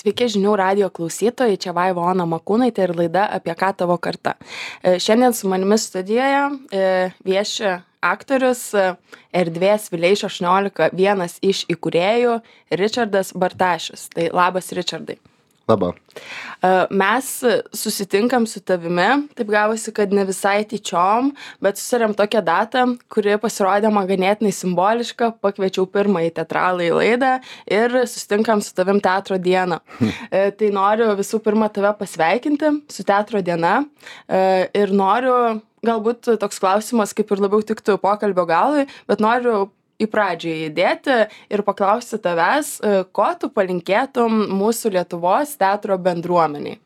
Sveiki žinių radijo klausytojai, čia Vaiva Ona Makūnaitė ir laida Apie ką tavo karta. Šiandien su manimi studijoje vieši aktorius Erdvės Vileišio 18 vienas iš įkūrėjų Ričardas Bartašius. Tai labas, Ričardai. Labą. Mes susitinkam su tavimi, taip gavosi, kad ne visai tyčiom, bet susirėm tokią datą, kuri pasirodė man ganėtinai simboliška, pakviečiau pirmąjį teatralą į laidą ir susitinkam su tavim teatro dieną. Tai noriu visų pirma tave pasveikinti su teatro diena ir noriu, galbūt toks klausimas kaip ir labiau tiktų pokalbio galui, bet noriu į pradžią įdėti ir paklausti tavęs, ko tu palinkėtum mūsų Lietuvos teatro bendruomeniai.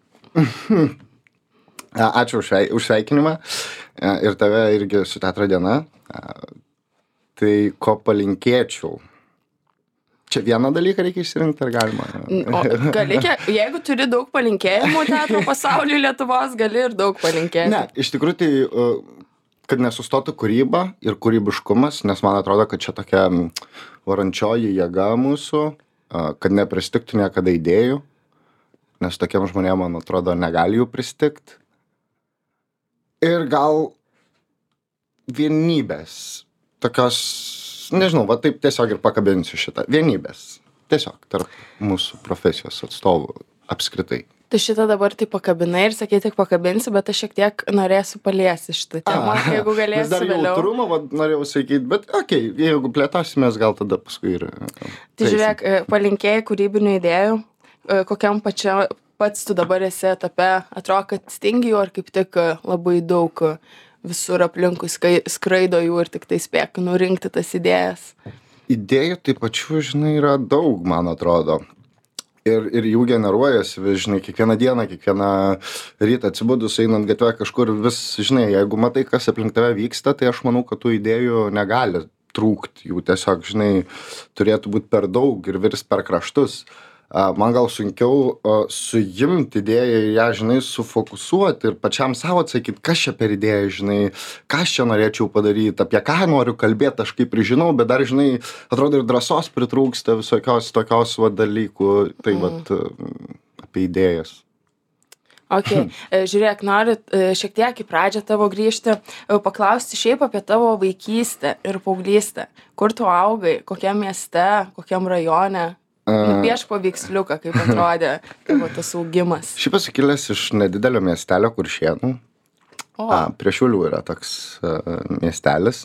Ačiū už sveikinimą ir tave irgi su teatro diena. Tai ko palinkėčiau? Čia vieną dalyką reikia išsirinkti, ar galima? Jeigu turi daug palinkėjimų teatro pasaulyje Lietuvos, gali ir daug palinkėti. Ne, iš tikrųjų tai kad nesustotų kūryba ir kūrybiškumas, nes man atrodo, kad čia tokia varančioji jėga mūsų, kad nepristigtų niekada idėjų, nes tokiem žmonėm, man atrodo, negali jų pristigti. Ir gal vienybės, tokios, nežinau, va taip tiesiog ir pakabinsiu šitą, vienybės, tiesiog tarp mūsų profesijos atstovų apskritai. Tu šitą dabar tai pakabinai ir sakai, tik pakabinsi, bet aš šiek tiek norėsiu paliesti šitą temą, jeigu galėsiu dar vėliau. Jautrumą, norėjau sakyti, bet okei, jeigu plėtosimės, gal tada paskui ir... Tai žiūrėk, palinkėjai kūrybinių idėjų, kokiam pats tu dabar esi etape, atrodo, kad stingi jų, ar kaip tik labai daug visur aplinkui skraido jų ir tik tai spėk nurinkti tas idėjas. Idėjų tai pačių, žinai, yra daug, man atrodo. Ir jų generuojasi, žinai, kiekvieną dieną, kiekvieną rytą atsibudus, einant gatvę kažkur vis, žinai, jeigu matai, kas aplink tave vyksta, tai aš manau, kad tų idėjų negali trūkti. Jų tiesiog, žinai, turėtų būti per daug ir virs per kraštus. Man gal sunkiau suimti idėją ir ją, žinai, sufokusuoti ir pačiam savo atsakyti, kas čia per idėją, žinai, ką aš čia norėčiau padaryti, apie ką noriu kalbėti, aš kaip ir žinau, bet dar, žinai, atrodo ir drąsos pritrūksta visokios tokios dalykų, tai vat apie idėjas. Ok, žiūrėk, noriu šiek tiek į pradžią tavo grįžti, paklausti šiaip apie tavo vaikystę ir paauglystę. Kur tu augai, kokiam mieste, kokiam rajone? Nupieš paveiksliuką, kaip atrodė tavo tas augimas. Šiaip esu kilęs iš nedidelio miestelio Kuršėnų. Prie Šiaulių yra toks miestelis.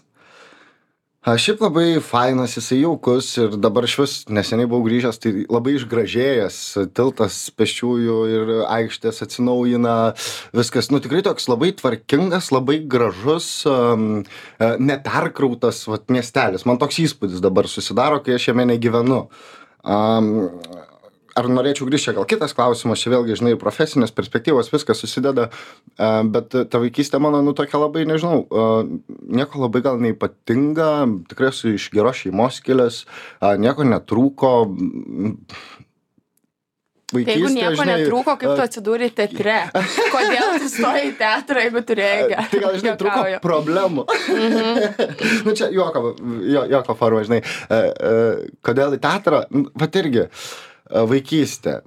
Šiaip labai fainas, jisai jaukus ir dabar švis neseniai buvau grįžęs, tai labai išgražėjęs, tiltas pėsčiųjų ir aikštės atsinaujina, viskas, tikrai toks labai tvarkingas, labai gražus, neperkrautas miestelis. Man toks įspūdis dabar susidaro, kai aš jame negyvenu. Ar norėčiau grįžti, gal kitas klausimas, čia vėlgi, žinai, profesinės perspektyvos, viskas susideda, bet ta vaikystė mano, tokia labai, nežinau, nieko labai gal neypatinga, tikrai esu iš geros šeimos kilęs, nieko netrūko. Tai jeigu nieko netrūko, kaip tu atsidūrei teatre? Kodėl tu stojai į teatrą, jeigu turėjai gerą? Tai gal, žinai, trūko problemų. Čia juoko forma, žinai. Kodėl į teatrą? Vat irgi, vaikystė.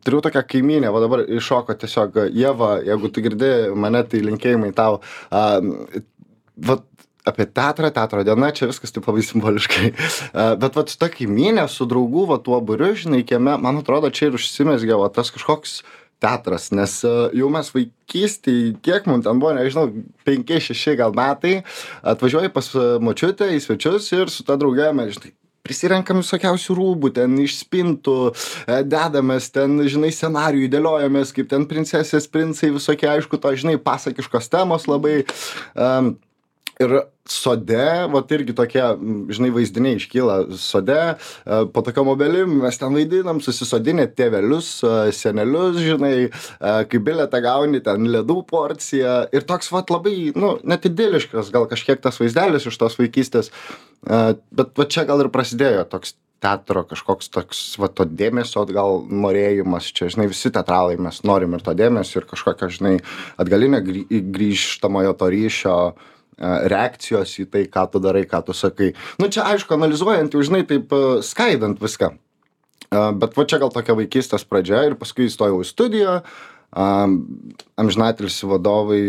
Turiu tokią kaimynę, va dabar iššoko tiesiog Ieva, jeigu tu girdi mane, tai linkėjimai tau. Vat apie teatro diena, čia viskas taip labai simboliškai. Bet vat su ta kaimynė, su draugų, va tuo būriu, žinai, kieme, man atrodo, čia ir užsimezgė va tas kažkoks teatras, nes jau mes vaikystėj, kiek mums ten buvo, nežinau, 5-6 gal metai, atvažiuoji pas močiutę į svečius ir su ta drauge mes, žinai, prisirenkam visokiausių rūbų, ten iš spintų, dedamės, ten, žinai, scenarijų dėliojamės, kaip ten princesės, princai, visokie, aišku, to, žinai, pasakiškos temos labai. Ir sode, vat irgi tokie, žinai, vaizdiniai iškyla sode, po tokiom obelim mes ten vaidinam, susisodinę tėvelius, senelius, žinai, kai bilietą gauni, ten ledų porciją ir toks, vat, labai, net idiliškas, gal kažkiek tas vaizdelis iš tos vaikystės, bet va čia gal ir prasidėjo toks teatro kažkoks toks, va, to dėmesio, gal norėjimas, čia, žinai, visi teatralai mes norim ir to dėmesio ir kažkokio, žinai, atgalinio grįžtamojo to ryšio, reakcijos į tai, ką tu darai, ką tu sakai. Čia, aišku, analizuojant, jau, žinai, taip skaidant viską. Bet va čia gal tokia vaikystės pradžia ir paskui įstojau į studiją. Amžinatilsį vadovai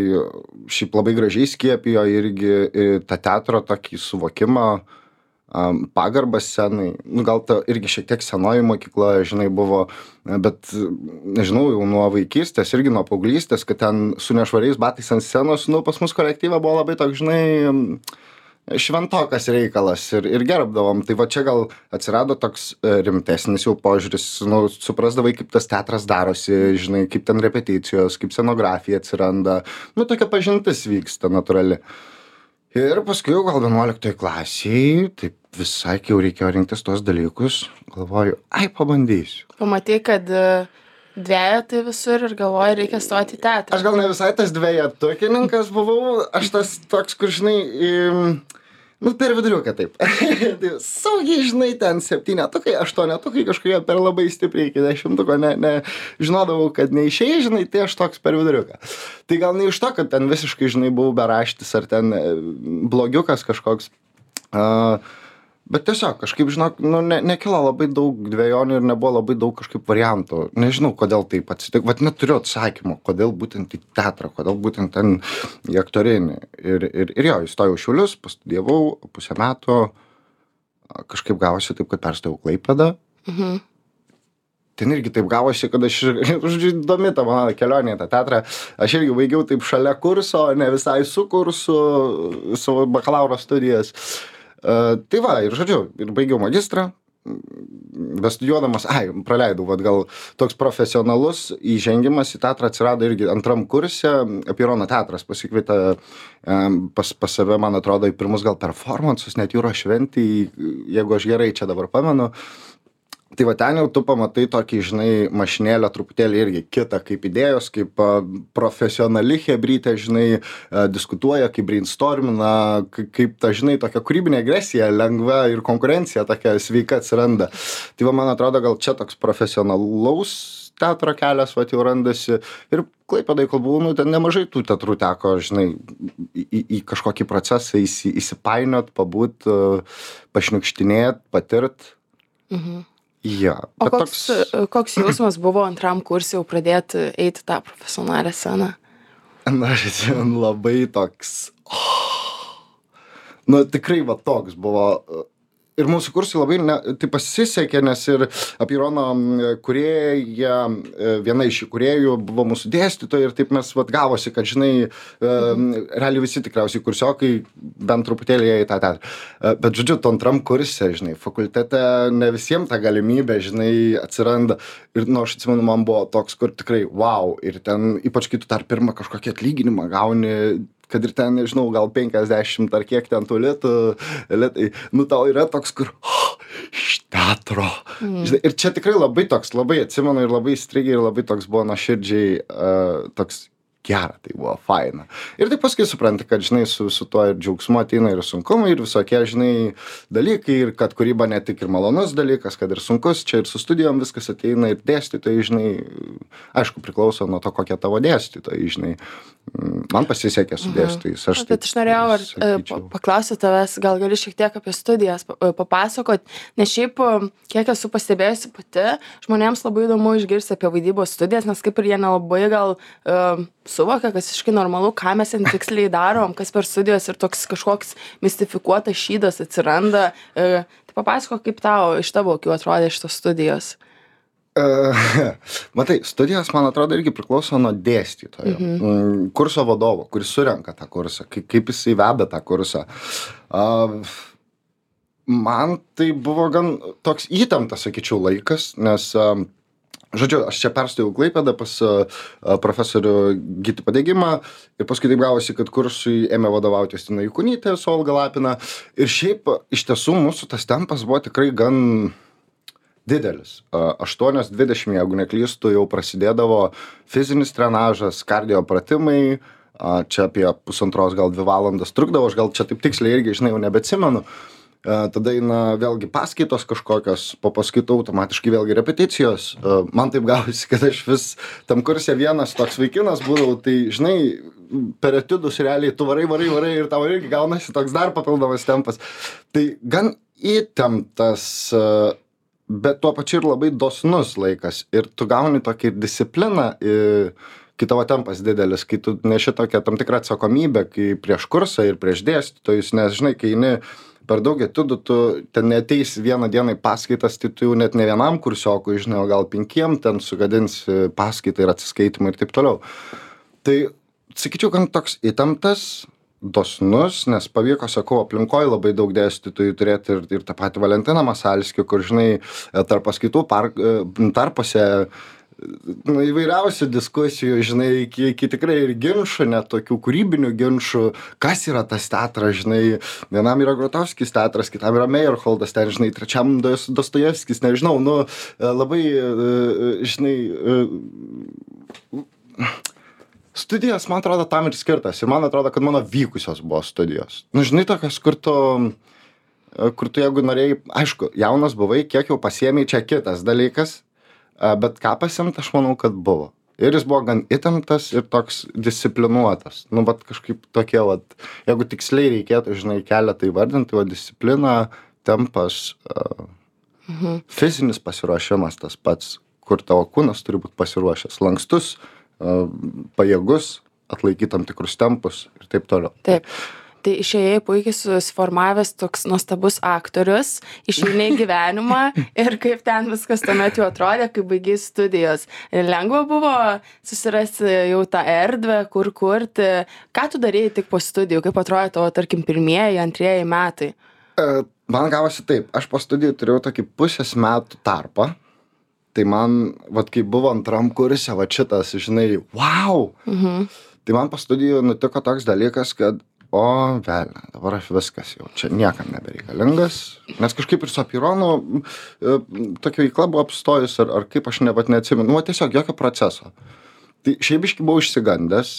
šiaip labai gražiai skiepijo irgi tą teatro tokį suvokimą, pagarbą scenai. Nu, gal ta irgi šiek tiek senoji mokykla, žinai, buvo, bet, nežinau, jau nuo vaikystės, irgi nuo paauglystės, kad ten su nešvariais batais ant scenos, nu, pas mus kolektyve buvo labai toks, žinai, šventokas reikalas ir gerbdavom. Tai va čia gal atsirado toks rimtesnis jau požiūris, nu, suprasdavai, kaip tas teatras darosi, žinai, kaip ten repeticijos, kaip scenografija atsiranda. Nu, tokia pažintis vyksta natūrali. Ir paskui jau gal 11 klasiai, taip visai, kai jau reikėjo rinktis tos dalykus, galvoju, pabandysiu. Pamatai, kad dvejetai visur ir galvoju, reikia stoti į teatrą. Aš gal ne visai tas dvejetukininkas buvau, aš tas toks, kur, žinai, nu, per viduriuką taip. Tai saugiai, žinai, ten 7-tukai, 8-tukai kažkokie per labai stipriai iki 10-tuko, žinodavau, kad neišėjai, žinai, tai aš toks per viduriuką. Tai gal ne iš to, kad ten visiškai, žinai, buvau beraštis ar ten blogiukas kažkoks. Bet tiesiog kažkaip, žinok, nu, nekilo labai daug dvejonių ir nebuvo labai daug kažkaip variantų. Nežinau, kodėl taip atsitiko. Vat neturiu atsakymo, kodėl būtent į teatrą, kodėl būtent ten į aktorinį. Ir jo, įstojau į Šiaulius, pastudijavau pusę metų, kažkaip gavosi taip, kad perstojau Klaipėdą. Ten irgi taip gavosi, kad aš, žodžiu, įdomi ta mano kelionė į tą teatrą. Aš irgi baigiau taip šalia kurso, ne visai su kursu, savo bakalauro studijas. Tai va, ir žodžiu, ir baigiau magistrą, bestudijuodamas, praleidau, vat gal toks profesionalus įžengimas į teatrą atsirado irgi antram kurse, Apeirono teatras pasikvietė pas save, man atrodo, į pirmus gal performansus, net Jūros šventį, jeigu aš gerai čia dabar pamenu. Tai va ten jau tu pamatai tokį, žinai, mašinėlę truputėlį irgi kitą, kaip idėjos, kaip profesionali chebrytė, žinai, diskutuoja, kaip brainstormina, kaip ta, žinai, tokia kūrybinė agresija, lengva ir konkurencija tokia sveika atsiranda. Tai va, man atrodo, gal čia toks profesionalaus teatro kelias, va, jau randasi. Ir Klaipėdoj, kol buvau, nu, ten nemažai tų teatrų teko, žinai, į kažkokį procesą įsipainiot, pabūt, pašniukštinėt, patirt. Ja, o koks jausmas buvo antram kursui jau pradėti eiti tą profesionalią sceną? Na, aš atsimenu, labai toks, nu, tikrai va toks buvo. Ir mūsų kursai labai tai pasisekė, nes ir Apeirono kūrėja, viena iš įkūrėjų buvo mūsų dėstytoja ir taip mes vat gavosi, kad, žinai, realiai visi tikriausiai kursiokai bent truputėlį į tą teatrą. Bet, žodžiu, to antram kurse, žinai, fakultete ne visiems ta galimybė, žinai, atsiranda. Ir, nu, aš atsimenu, man buvo toks, kur tikrai, wow, ir ten, ypač kai tu dar pirmą kažkokį atlyginimą gauni, kad ir ten, nežinau, gal 50 ar kiek ten tų litai, nu tau yra toks, kur, iš teatro. Žinai, ir čia tikrai labai toks, labai atsimenu ir labai įstrigė ir labai toks buvo nuoširdžiai, toks gera, tai buvo faina. Ir taip paskui supranti, kad, žinai, su tuo ir džiaugsmu ateina ir sunkumai ir visokie, žinai, dalykai ir kad kūryba ne tik ir malonus dalykas, kad ir sunkus, čia ir su studijom viskas ateina ir dėstytojai, žinai, aišku, priklauso nuo to, kokie tavo dėstytojai, žinai. Man pasisekė su dėstytojais. Bet aš norėjau paklausyti tavęs, gal gali šiek tiek apie studijas papasakot, nes šiaip, kiek esu pastebėjusi pati, žmonėms labai įdomu išgirsti apie vaidybos studijas, nes kaip ir jie nelabai gal suvokia, kas visiškai normalu, ką mes ten tiksliai darom, kas per studijas ir toks kažkoks mistifikuotas šydas atsiranda. Tai papasako, kaip tau iš tavo akių atrodė šitos studijos. Matai, studijos, man atrodo, irgi priklauso nuo dėstytojo, kurso vadovo, kuris surenka tą kursą, kaip jisai veda tą kursą. Man tai buvo gan toks įtemptas, sakyčiau, laikas, nes žodžiu, aš čia perstojau Klaipėdą pas profesorių Gytį Padegimą ir paskui taip gavosi, kad kursui ėmė vadovauti Justina Jukonytė su Olga Lapina. Ir šiaip iš tiesų mūsų tas tempas buvo tikrai gan didelis. 8:20, jeigu neklystu, jau prasidėdavo fizinis trenažas, kardio pratimai, čia apie 1,5 gal 2 valandas trukdavo, aš gal čia taip tiksliai irgi, žinai, jau nebeatsimenu. Tada eina vėlgi paskaitos kažkokios, po paskaitų automatiškai vėlgi repeticijos. Man taip gavosi, kad aš vis tam kurse vienas toks vaikinas būdavau, tai, žinai, per etudus realiai tu varai ir tau irgi gaunasi toks dar papildomas tempas. Tai gan įtemptas bet tuo pačiu ir labai dosnus laikas. Ir tu gauni tokį discipliną, kai tavo tempas didelis, kai tu neši tokią tam tikrą atsakomybę, kai prieš kursą ir prieš dėstytojus, nes žinai, kai eini per daug etudų, tu ten neateis vieną dieną į paskaitas, tai tu jau net ne vienam kursiokui, žinai, o gal 5 ten sugadinsi paskaitą ir atsiskaitimą ir taip toliau. Tai sakyčiau, kad toks įtemptas, dosnus, nes pavyko, sakau, aplinkoje labai daug dėstytojų turėti ir tą patį Valentiną Masalskį, kur, žinai, tarp paskaitų tarpuose įvairiausių diskusijų, žinai, iki tikrai ir ginčų, net tokių kūrybinių ginčų, kas yra tas teatras, žinai, vienam yra Grotowskis teatras, kitam yra Meyerholdas, ten, žinai, trečiam Dostojevskis, nežinau, labai, žinai, studijos, man atrodo, tam ir skirtas. Ir man atrodo, kad mano vykusios buvo studijos. Žinai, tokios, kur tu jeigu norėjai, aišku, jaunas buvai, kiek jau pasiėmei, čia kitas dalykas, bet ką pasiimt, aš manau, kad buvo. Ir jis buvo gan įtemptas ir toks disciplinuotas. Bet kažkaip tokie, jeigu tiksliai reikėtų, žinai, keletą įvardinti, disciplina, tempas, fizinis pasiruošimas tas pats, kur tavo kūnas turi būti pasiruošęs, lankstus, pajėgus, atlaikyti tam tikrus tempus ir taip toliau. Taip. Tai išėjai puikiai susiformavęs toks nuostabus aktorius, išėjai gyvenimą ir kaip ten viskas tuomet jau atrodė, kai baigiai studijos. Ir lengva buvo susirasti jau tą erdvę, kur kurti. Ką tu darėjai tik po studijų? Kaip atrodė tavo, tarkim, 1., 2 metai? Man gavosi taip. Aš po studijų turėjau tokį pusės metų tarpą. Tai man, kai buvo antram kurse, šitas, žinai, wow! Tai man po studijų nutiko toks dalykas, kad velnia, dabar aš viskas jau čia niekam nebereikalingas, nes kažkaip ir su Apironu tokia veikla buvo apstojus, ar kaip aš neatsimenu, tiesiog jokio proceso. Tai šiaip biškį buvau išsigandęs,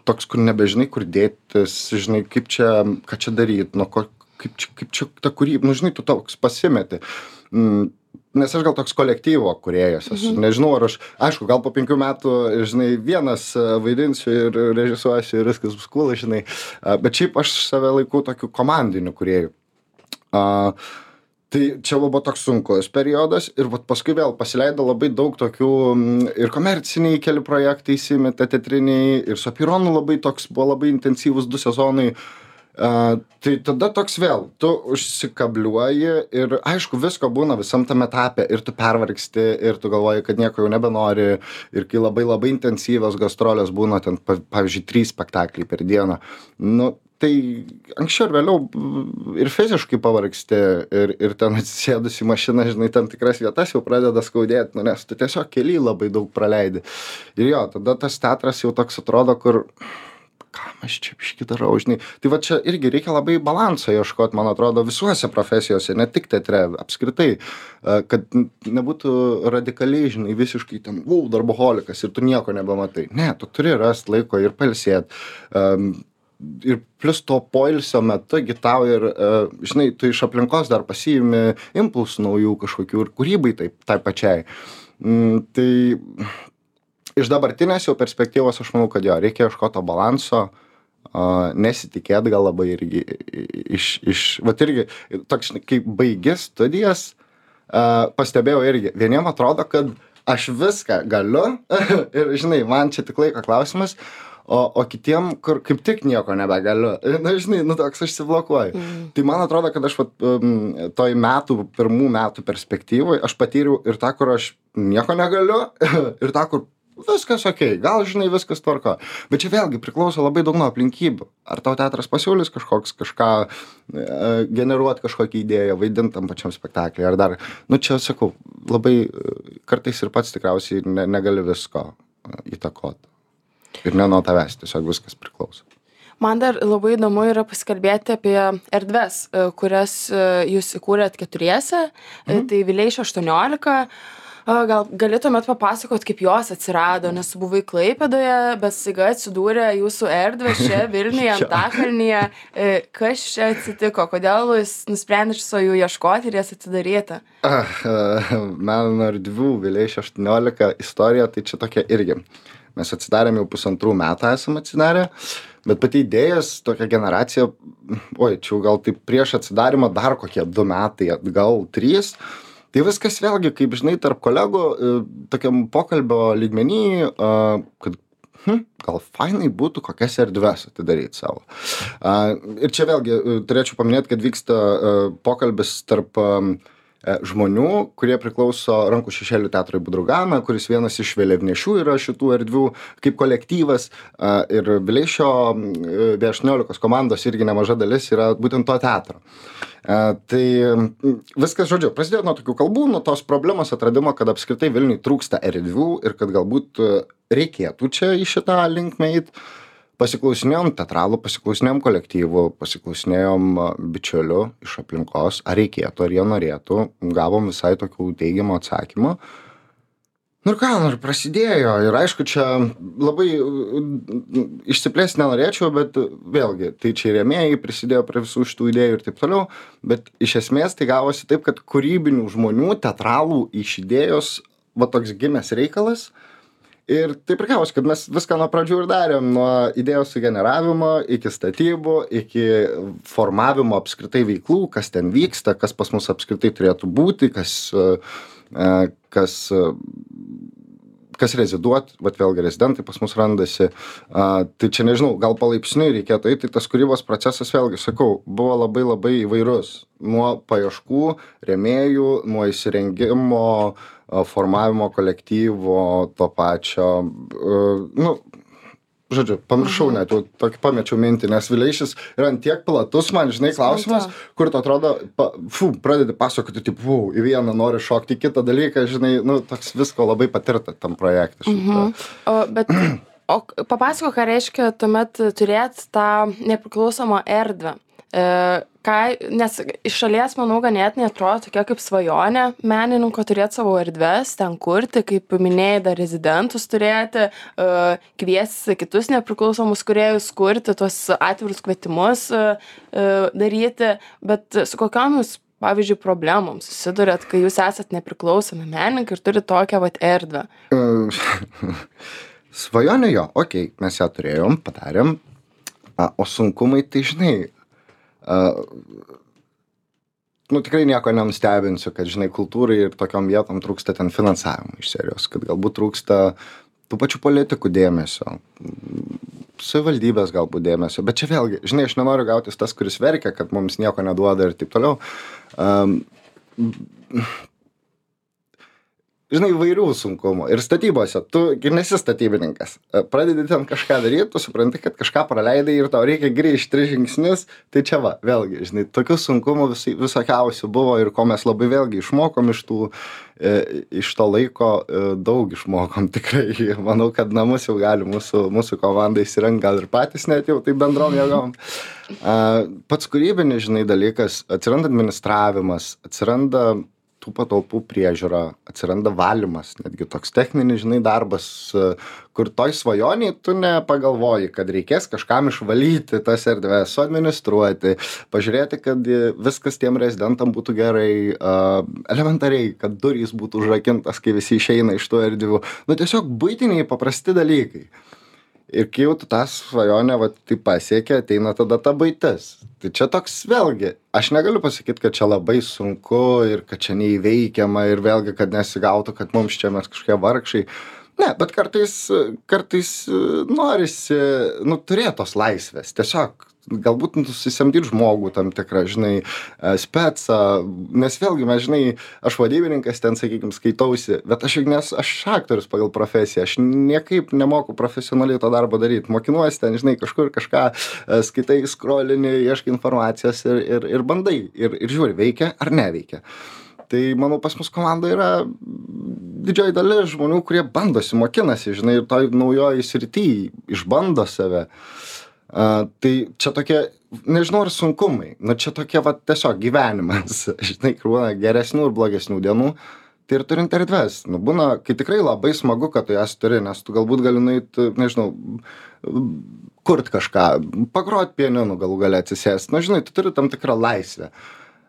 toks, kur nebežinai, kur dėtis, žinai, ką čia daryti, kaip čia ta kūryba, žinai, tu toks pasimeti. Nes aš gal toks kolektyvo kūrėjas esu. Nežinau, ar aš, aišku, gal po 5 metų, žinai, vienas vaidinsiu ir režisuosiu ir viskas bus cool, žinai. Bet šiaip aš save laikau tokiu komandiniu kūrėju. Tai čia buvo toks sunkus periodas ir paskui vėl pasileido labai daug tokių ir komerciniai keli projektai įsimetė, teatriniai, ir su Apironu buvo labai intensyvus 2 sezonai. Tai tada toks vėl, tu užsikabliuoji ir aišku, visko būna visam tam etape ir tu pervargsti ir tu galvoji, kad nieko jau nebenori ir kai labai labai intensyvios gastrolės būna ten, pavyzdžiui, 3 spektakliai per dieną, tai anksčiau ir vėliau ir fiziškai pavargsti ir ten atsisėdus į mašiną, žinai, tam tikras vietas jau pradeda skaudėti, nes tu tiesiog kely labai daug praleidi. Ir jo, tada tas teatras jau toks atrodo, kur ką aš čia biškį darau, žinai. Tai čia irgi reikia labai balansą ieškoti, man atrodo, visuose profesijose, ne tik teatre, apskritai, kad nebūtų radikaliai, žinai, visiškai ten, darboholikas ir tu nieko nebematai. Ne, tu turi rasti laiko ir pailsėti. Ir plus to poilsio metu, tau ir, žinai, tu iš aplinkos dar pasiimi impulsų naujų kažkokių ir kūrybai tai pačiai. Tai iš dabartinės jau perspektyvos aš manau, kad reikia ieškoti to balanso, nesitikėt gal labai irgi irgi, toks, kai baigi studijas, pastebėjau irgi, vieniem atrodo, kad aš viską galiu ir, žinai, man čia tik laiko klausimas, o kitiem, kur kaip tik nieko nebegaliu, žinai, toks užsiblokuoju. Tai man atrodo, kad aš toj pirmų metų perspektyvoj, aš patyriau ir tą, kur aš nieko negaliu, ir tą, kur viskas okei, gal, žinai, viskas tvarko. Bet čia vėlgi priklauso labai daug nuo aplinkybių. Ar tau teatras pasiūlys kažką generuoti kažkokią idėją, vaidinti tam pačiam spektaklį, ar dar, čia sakau, labai kartais ir pats tikriausiai negali visko įtakoti. Ir ne nuo tavęs, tiesiog viskas priklauso. Man dar labai įdomu yra pasikalbėti apie erdves, kurias jūs įkūrėt 4, tai Vileišio 18. Gal galėtumėt papasakot, kaip jos atsirado, nes buvai Klaipėdoje, bet staiga atsidūrė jūsų erdvė čia Vilniuje, Antakalnyje. Kas čia atsitiko? Kodėl jūs nusprendėte jų ieškoti ir jas atidaryti? Meno erdvių Vileišio 18 istorija, tai čia tokia irgi. Mes atsidarėm jau 1,5 metų esam atsidarę, bet pati idėjas, tokia generacija, čia gal taip prieš atsidarimą dar kokie 2 metai, gal 3, Tai viskas vėlgi, kaip žinai, tarp kolegų, tokiam pokalbio lygmenį, kad gal fainai būtų kokias erdves atidaryti savo. Ir čia vėlgi turėčiau paminėti, kad vyksta pokalbis tarp žmonių, kurie priklauso Rankų šešėlių teatrui Budraugana, kuris vienas iš vėliavnešių yra šitų erdvių kaip kolektyvas, ir Vileišio B18 komandos irgi nemaža dalis yra būtent to teatro. Tai viskas, žodžiu, prasidėjo nuo tokių kalbų, nuo tos problemos atradimo, kad apskritai Vilniui trūksta erdvių ir kad galbūt reikėtų čia į šitą linkmę eit. Pasiklausinėjom teatralų, pasiklausinėjom kolektyvų, pasiklausinėjom bičiulių iš aplinkos, ar reikėtų, ar jie norėtų, gavom visai tokių teigiamų atsakymų. Nu ir ką, ir prasidėjo, ir aišku, čia labai išsiplėsti nenorėčiau, bet vėlgi, tai čia rėmėjai prisidėjo prie visų šitų idėjų ir taip toliau, bet iš esmės tai gavosi taip, kad kūrybinių žmonių, teatralų iš idėjos, va toks gimęs reikalas. Ir taip ir gavosi, kad mes viską nuo pradžių ir darėm, nuo idėjos sugeneravimo, iki statybų, iki formavimo apskritai veiklų, kas ten vyksta, kas pas mus apskritai turėtų būti, kas reziduot, vat vėlgi rezidentai pas mus randasi. Tai čia nežinau, gal palaipsniui reikėtų eiti, tai tas kūrybos procesas, vėlgi sakau, buvo labai labai įvairus. Nuo paieškų, rėmėjų, nuo įsirengimo, formavimo kolektyvo, to pačio, žodžiu, pamiršau net, jau tokį pamečiau mintį, nes Vileišis yra tiek platus, man, žinai, klausimas, kur tu atrodo, pradedi pasakoti, tipo, į vieną nori šokti, į kitą dalyką, žinai, toks visko labai patirta tam projekte. O papasako, ką reiškia tuomet turėti tą nepriklausomą erdvę. Nes iš šalies, manau, ganėtinai atrodo tokia kaip svajonė menininko turėti savo erdves, ten kurti, kaip minėjai, dar rezidentus turėti, kviesti kitus nepriklausomus kūrėjus kurti, tuos atvirus kvietimus daryti, bet su kokiomis, pavyzdžiui, problemom susidurėt, kai jūs esat nepriklausomi menininkai ir turite tokią erdvę? Svajonė jo, okei, mes ją turėjom, padarėm, o sunkumai, tai žinai, tikrai nieko nenustebinsiu, kad, žinai, kultūrai ir tokiom vietom trūksta ten finansavimo iš serijos, kad galbūt trūksta tų pačių politikų dėmesio, savivaldybės galbūt dėmesio, bet čia vėlgi, žinai, aš nenoriu gautis tas, kuris verkia, kad mums nieko neduoda ir taip toliau. Žinai, įvairių sunkumų. Ir statybose, tu nesi statybininkas. Pradedi ten kažką daryti, tu supranti, kad kažką praleidai ir tau reikia grįžti 3 žingsnius. Tai čia va, vėlgi, žinai, tokių sunkumų visokiausių buvo ir ko mes labai vėlgi išmokom iš to laiko, daug išmokom tikrai. Manau, kad namus jau gali mūsų komanda įsirengti, gal ir patys net jau tai bendrom jėgom. Pats kūrybinis, žinai, dalykas, atsiranda administravimas, atsiranda tų patalpų priežiūra, atsiranda valymas, netgi toks techninis, žinai, darbas, kur toj svajoniai tu nepagalvoji, kad reikės kažkam išvalyti tas erdves, suadministruoti, pažiūrėti, kad viskas tiem rezidentam būtų gerai, elementariai, kad durys būtų užrakintas, kai visi išeina iš tų erdvių. Tiesiog buitiniai paprasti dalykai. Ir kai jau tu tą svajonę tai pasiekė, ateina tada ta buitis. Tai čia toks vėlgi, aš negaliu pasakyti, kad čia labai sunku ir kad čia neįveikiama ir vėlgi, kad nesigautų, kad mums čia mes kažkokie vargšai. Ne, bet kartais norisi, turėti tos laisvės. Tiesiog galbūt susisamdyti žmogų tam tikrą, žinai, specą, nes vėlgi, mes, žinai, aš vadybininkas ten, sakykime, skaitausi, bet aš aktorius pagal profesiją, aš niekaip nemoku profesionaliai to darbo daryti, mokinuosi ten, žinai, kažkur kažką skaitai, scrollini, ieškai informacijos ir bandai, ir žiūri, veikia ar neveikia. Tai, manau, pas mus komanda yra didžioji dalis žmonių, kurie bandosi, mokinasi, žinai, ir toj naujoj srity išbando save. Tai čia tokie, nežinau, ar sunkumai, čia tokie tiesiog gyvenimas, žinai, krūna geresnių ir blogesnių dienų, tai ir turint erdves, būna, kai tikrai labai smagu, kad tu jas turi, nes tu galbūt gali nueiti, nežinau, kurt kažką, pagrot pianinu galų gale atsisėsti, žinai, tu turi tam tikrą laisvę,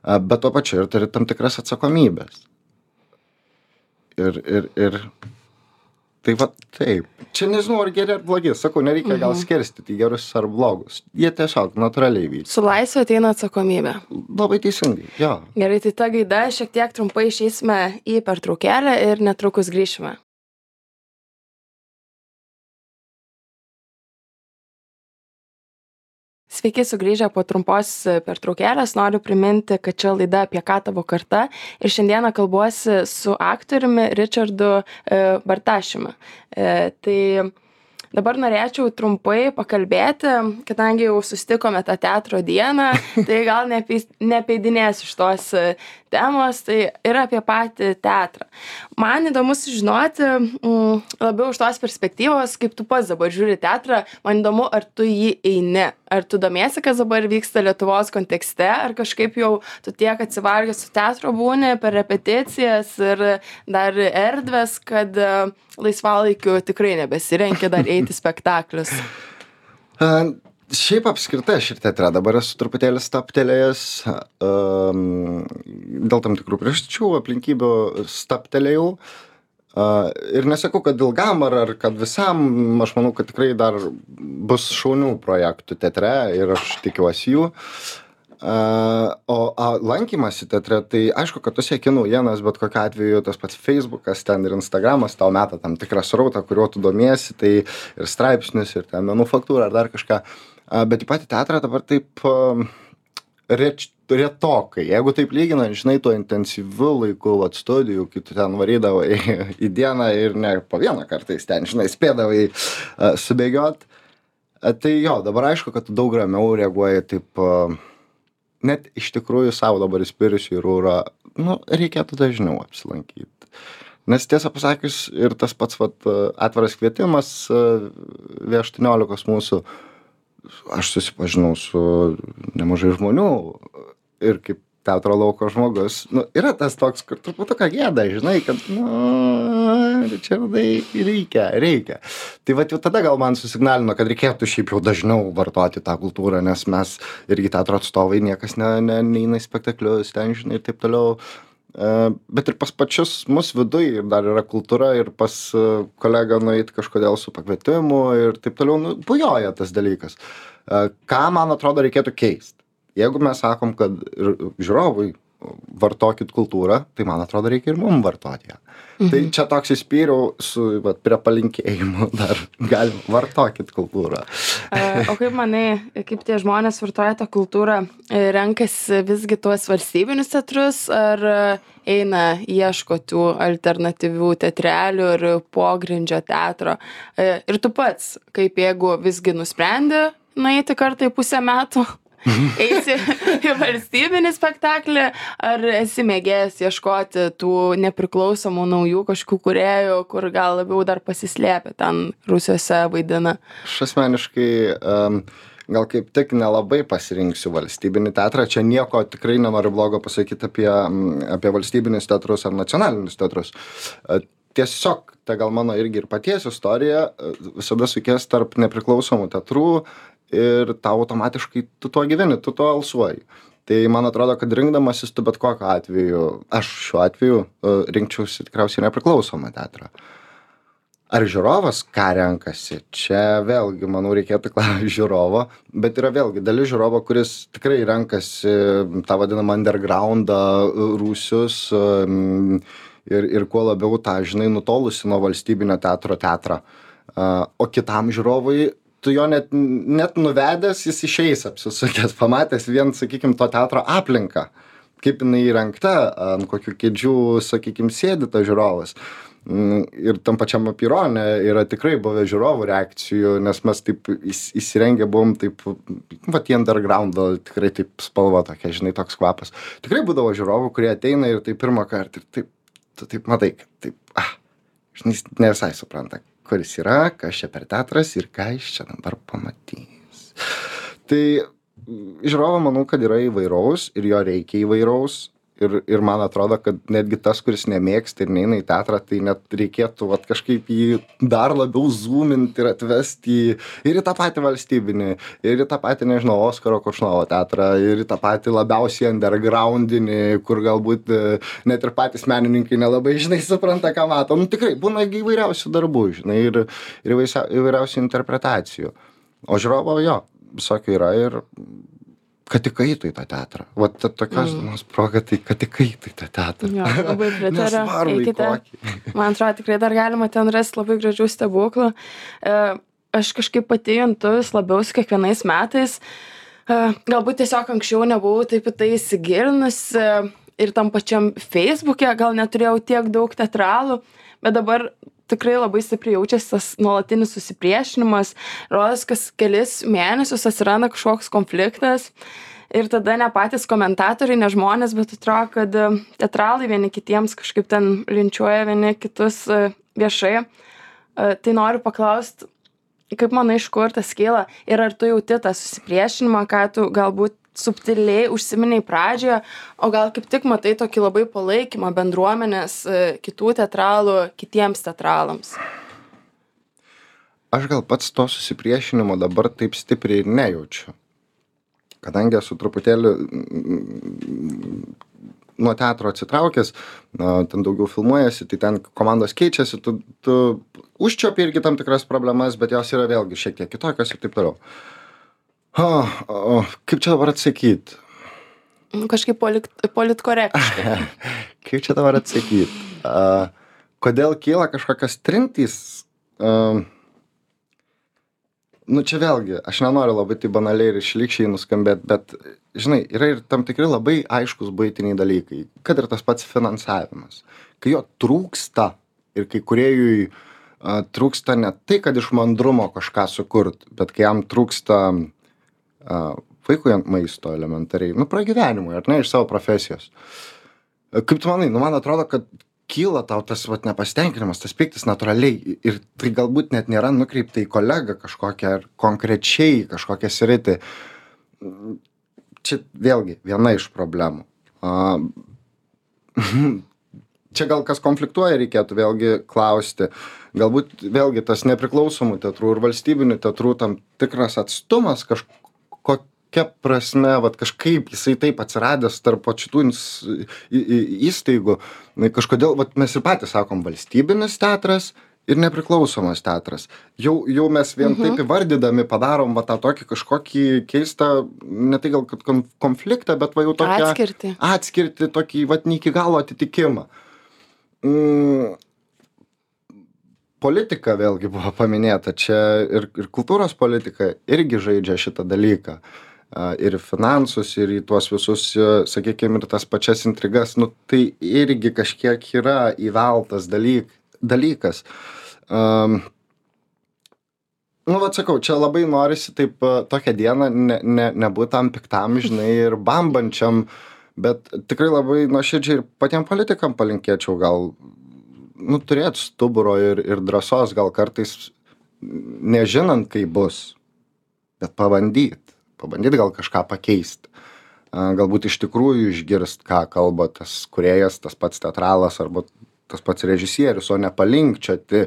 bet tuo pačiu ir turi tam tikras atsakomybės. Ir Tai va taip. Čia nežinau, ar geri ar blogi. Sakau, nereikia gal skirstyti gerus ar blogus. Jie tiesiog natūraliai vyksta. Su laisvė ateina atsakomybė. Labai teisingai, jo. Gerai, tai ta gaida šiek tiek trumpai išeisime į pertraukėlę ir netrukus grįšime. Sveiki sugrįžę po trumpos pertraukėlės. Noriu priminti, kad čia laida Apie ką tavo karta ir šiandieną kalbuosi su aktoriumi Richardu Bartašiumi. Tai dabar norėčiau trumpai pakalbėti, kadangi jau susitikome tą teatro dieną, tai gal neapeidinėsiu šitos temos, tai yra apie patį teatrą. Man įdomu sužinoti labiau iš tos perspektyvos, kaip tu pats dabar žiūri teatrą, man įdomu, ar tu jį eini, ar tu domiesi, kas dabar vyksta Lietuvos kontekste, ar kažkaip jau tu tiek atsivargęs su teatro būni per repeticijas ir dar erdvės, kad laisvalaikiu tikrai nebesirenki dar eiti spektaklius. Šiaip apskritai aš ir teatre dabar esu truputėlį stabtelėjęs, dėl tam tikrų priežasčių, aplinkybių stabtelėjau. Ir nesakau, kad ilgam ar kad visam, aš manau, kad tikrai dar bus šaunių projektų teatre ir aš tikiuosi jų. O lankymasi teatre, tai aišku, kad tu sieki naujienas, bet kokiu atveju tas pats Facebookas ten ir Instagramas tau meta tam tikrą srautą, kuriuo tu domiesi, tai ir straipsnis, ir ten menų faktūra, ar dar kažką. Bet į patį teatrą dabar taip retokai. Jeigu taip lyginant, žinai, tuo intensyviu laiku, studijų, kai tu ten varydavai į dieną ir ne po vieną kartais ten, žinai, spėdavai subėgiot. Tai jo, dabar aišku, kad tu daug ramiau reaguoji taip, net iš tikrųjų savo dabar įspiriusiu į rūrą, reikėtų dažniau apsilankyti. Nes tiesą pasakius, ir tas pats atviras kvietimas V18 mūsų, aš susipažinau su nemažai žmonių ir kaip teatro lauko žmogus, yra tas toks, kur truputuką gėda, žinai, kad, Richardai, reikia. Tai jau tada gal man susignalino, kad reikėtų šiaip jau dažniau vartoti tą kultūrą, nes mes irgi teatro atstovai, niekas neina į spektaklius, ten, žinai, ir taip toliau. Bet ir pas pačius mus viduj ir dar yra kultūra ir pas kolegą nueiti kažkodėl su pakvietimu ir taip toliau, bujoja tas dalykas. Ką, man atrodo, reikėtų keisti? Jeigu mes sakom, kad žiūrovui vartokit kultūrą, tai man atrodo, reikia ir mum vartoti ją. Tai čia toks įspyriau su prie palinkėjimų dar galim vartokit kultūrą. O kaip manai, kaip tie žmonės vartoja tą kultūrą, renkasi visgi tuos valstybinius teatrus, ar eina ieško tų alternatyvių teatrelių ir pogrindžio teatro? Ir tu pats, kaip jeigu visgi nusprendi nueiti kartą į pusę metų, eisi į valstybinį spektaklį, ar esi mėgėjęs ieškoti tų nepriklausomų naujų kažkokių kūrėjų, kur gal labiau dar pasislėpę ten rūsiuose vaidina? Aš asmeniškai gal kaip tik nelabai pasirinksiu valstybinį teatrą. Čia nieko tikrai nenoriu blogo pasakyti apie valstybinius teatrus ar nacionalinius teatrus. Tiesiog, tai gal mano irgi ir paties istorija visada sukės tarp nepriklausomų teatrų ir tau automatiškai tu tuo gyveni, tu tuo alsuoji. Tai man atrodo, kad rinkdamasis tu bet kokiu atveju, aš šiuo atveju rinkčiausi tikriausiai nepriklausomą teatrą. Ar žiūrovas ką renkasi? Čia vėlgi, manau, reikėtų klausti žiūrovo, bet yra vėlgi dalis žiūrovo, kuris tikrai renkasi tą vadinamą undergroundą, rūsius ir kuo labiau tą, žinai, nutolusi nuo valstybinio teatrą. O kitam žiūrovui tu jo net nuvedęs, jis išeis apsisukęs, pamatęs vien, sakykim, to teatro aplinką, kaip jinai įrengta, ant kokių kėdžių, sakykim, sėdi tas žiūrovas. Ir tam pačiam apyrone yra tikrai buvę žiūrovų reakcijų, nes mes taip įsirengę buvom taip, į undergroundą, tikrai taip spalva tokia, žinai, toks kvapas. Tikrai būdavo žiūrovų, kurie ateina ir taip pirmą kartą ir taip, tu taip matai, taip, žinai, ne visai supranta, kuris yra, kas čia per teatras ir ką jis čia dabar pamatys. Tai žiūrovo manau, kad yra įvairaus ir jo reikia įvairaus ir man atrodo, kad netgi tas, kuris nemėgsta ir neina į teatrą, tai net reikėtų vat, kažkaip jį dar labiau zoominti ir atvesti ir į tą patį valstybinį, ir į tą patį, nežinau, Oskaro Koršunovo teatrą, ir į tą patį labiausiai undergroundinį, kur galbūt net ir patys menininkai nelabai, žinai, supranta, ką mato. Nu, tikrai, būna įvairiausių darbų, žinai, ir įvairiausių interpretacijų. O žiūrovo, jo, visokių yra ir kad tik eitų į tą teatrą. Vat tokios dienos proga, tai kad tik eitų į tą teatrą. Jo, labai pritariu. Nesvarbu, į Eikite. kokį. Man atrodo, tikrai dar galima ten rasti labai gražių stebuklų. Aš kažkaip pati juntu vis labiau su kiekvienais metais. Galbūt tiesiog anksčiau nebuvau taip į tai įsigilinusi ir tam pačiam Facebook'e gal neturėjau tiek daug teatralų, bet dabar tikrai labai stipriai jaučiasi tas nuolatinis susipriešinimas. Rodos, kas kelis mėnesius atsiranda kažkoks konfliktas ir tada ne patys komentatoriai, ne žmonės, bet atrodo, kad teatralai vieni kitiems kažkaip ten linčiuoja vieni kitus viešai. Tai noriu paklausti, kaip manai, iš kur tas kyla ir ar tu jauti tą susipriešinimą, ką tu galbūt subtiliai užsiminiai pradžioje, o gal kaip tik matai tokį labai palaikymą bendruomenės kitų teatralų kitiems teatralams? Aš gal pats to susipriešinimo dabar taip stipriai ir nejaučiu. Kadangi esu truputėlį nuo teatro atsitraukęs, ten daugiau filmuojasi, tai ten komandos keičiasi, tu užčiopi irgi tam tikras problemas, bet jos yra vėlgi šiek tiek kitokios ir taip toliau. Kaip čia dabar atsakyti? Kažkaip politkorektiškai. Kaip čia dabar atsakyti? Kodėl kyla kažkokios trintys? Nu čia vėlgi, aš nenoriu labai tai banaliai ir šlykščiai nuskambėti, bet, žinai, yra ir tam tikri labai aiškus buitiniai dalykai, kad ir tas pats finansavimas. Kai jo trūksta ir kai kūrėjui trūksta ne tai, kad iš mandrumo kažką sukurt, bet kai jam trūksta vaikui maisto elementariai, pragyvenimui, ar ne, iš savo profesijos. Kaip tu manai, man atrodo, kad kyla tau tas nepasitenkinimas, tas pyktis natūraliai ir tai galbūt net nėra nukreipta į kolegą kažkokią ar konkrečiai kažkokią sritį. Čia vėlgi viena iš problemų. Čia gal kas konfliktuoja, reikėtų vėlgi klausti. Galbūt vėlgi tas nepriklausomų teatrų ir valstybinių teatrų tam tikras atstumas kokia prasme, kažkaip jisai taip atsiradęs tarp šitų įstaigų. Kažkodėl, mes ir patys sakom, valstybinis teatras ir nepriklausomas teatras. Jau mes vien taip įvardydami padarom tą tokį kažkokį keistą, ne tai gal kad konfliktą, bet jau tokią atskirtį, tokį ne iki galo atitikimą. Politika vėlgi buvo paminėta, čia ir kultūros politika irgi žaidžia šitą dalyką. Ir finansus, ir į tuos visus, sakykime, ir tas pačias intrigas, tai irgi kažkiek yra įveltas dalykas. Sakau, čia labai norisi taip tokią dieną nebūt tam piktam, žinai, ir bambančiam, bet tikrai labai nuoširdžiai ir patiem politikam palinkėčiau gal turėti stuburo ir drąsos gal kartais nežinant, kaip bus, bet pabandyt gal kažką pakeisti. Galbūt iš tikrųjų išgirst, ką kalba tas kūrėjas, tas pats teatralas arba tas pats režisierius, o ne palinkčioti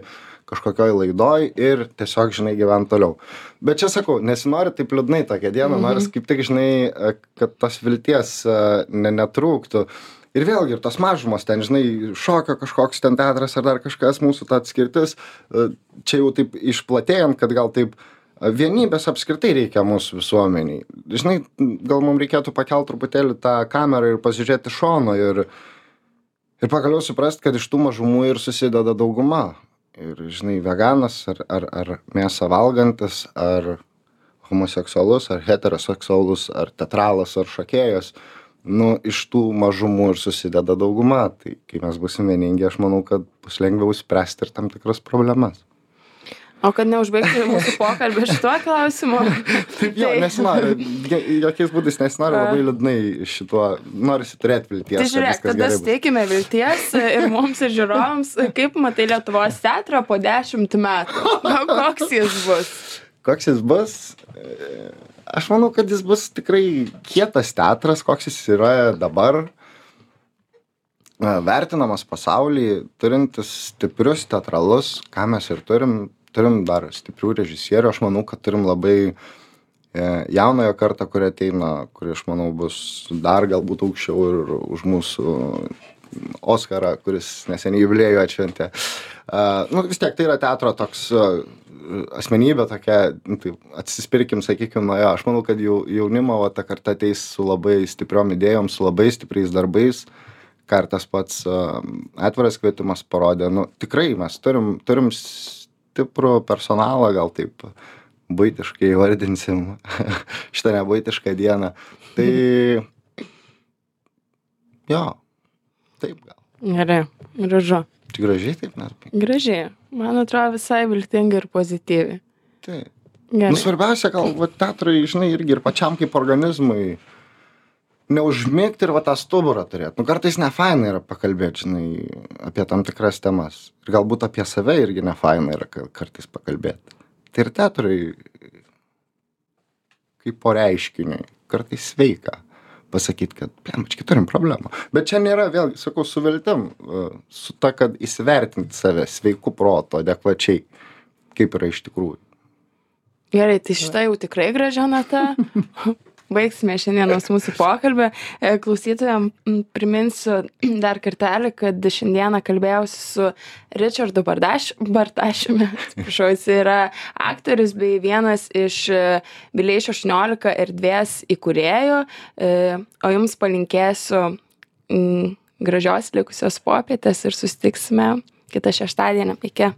kažkokioj laidoj ir tiesiog, žinai, gyvent toliau. Bet čia sakau, nesinori taip liūdnai tokią dieną, noris kaip tik, žinai, kad tos vilties netrūktų. Ir vėlgi, ir tos mažumos ten, žinai, šokio kažkoks ten teatras ar dar kažkas, mūsų ta atskirtis, čia jau taip išplatėjant, kad gal taip vienybės apskritai reikia mūsų visuomeniai. Žinai, gal mums reikėtų pakelt truputėlį tą kamerą ir pasižiūrėti šono ir pagaliau suprast, kad iš tų mažumų ir susideda dauguma. Ir, žinai, veganas ar mėsą valgantis, ar homoseksualus, ar heteroseksualus, ar teatralas, ar šokėjas, iš tų mažumų ir susideda dauguma. Tai kai mes būsim vieningi, aš manau, kad bus lengviau spręsti ir tam tikras problemas. O kad neužbaigti mūsų pokalbį šituo klausimu. Taip, jo, nesinori, jokiais būdais nesinori labai liūdnai šituo, norisi turėti vilties. Tai žiūrėk, tada steikime vilties ir mums ir žiūrovams, kaip matai Lietuvos teatrą po 10 metų. Koks jis bus? Koks jis bus? Aš manau, kad jis bus tikrai kietas teatras, koks jis yra dabar. vertinamas pasauly, turintis stiprius teatralus, ką mes ir turim dar stiprių režisierių, aš manau, kad turim labai jaunojo kartą, kurie ateina, kurie, aš manau, bus dar galbūt aukščiau ir už mūsų Oskarą, kuris neseniai jubiliejų atšventė. Vis tiek tai yra teatro toks asmenybė tokia, tai atsispirkim, sakykim, nuo jo. Aš manau, kad jaunimo ta karta ateis su labai stipriom idėjom, su labai stipriais darbais, ką ir tas pats atviras kvietimas parodė. Tikrai mes turim stiprų personalą, gal taip buitiškai vardinsim šitą nebuitišką dieną. Tai jo, taip gal. Gerai, gražu. Tai gražiai taip, net. Gražiai. Man atrodo visai viltingai ir pozityviai. Taip. Gerai. Svarbiausia, gal teatrai, žinai, irgi ir pačiam kaip organizmui neužmigti ir tą stuburą turėti. Kartais nefaina yra pakalbėti, žinai, apie tam tikras temas. Ir galbūt apie save irgi nefaina yra kartais pakalbėti. Tai ir teatrai kaip po reiškiniui kartais sveika pasakyti, kad, plemčiai, turim problemą. Bet čia nėra, vėlgi, sakau, su viltim, su ta, kad įsivertinti save sveiku proto, adekvačiai, kaip yra iš tikrųjų. Gerai, tai šitą jau tikrai gražia nata. Baigsime šiandienos mūsų pokalbį. Klausytojams priminsiu dar kartelį, kad šiandieną kalbėjausi su Richardu Bartašiumi. Atsiprašau, jis yra aktorius bei vienas iš Vileišio 18 erdvės įkūrėjų. O jums palinkėsiu gražios likusios popietės ir susitiksime kitą šeštadienį. Iki.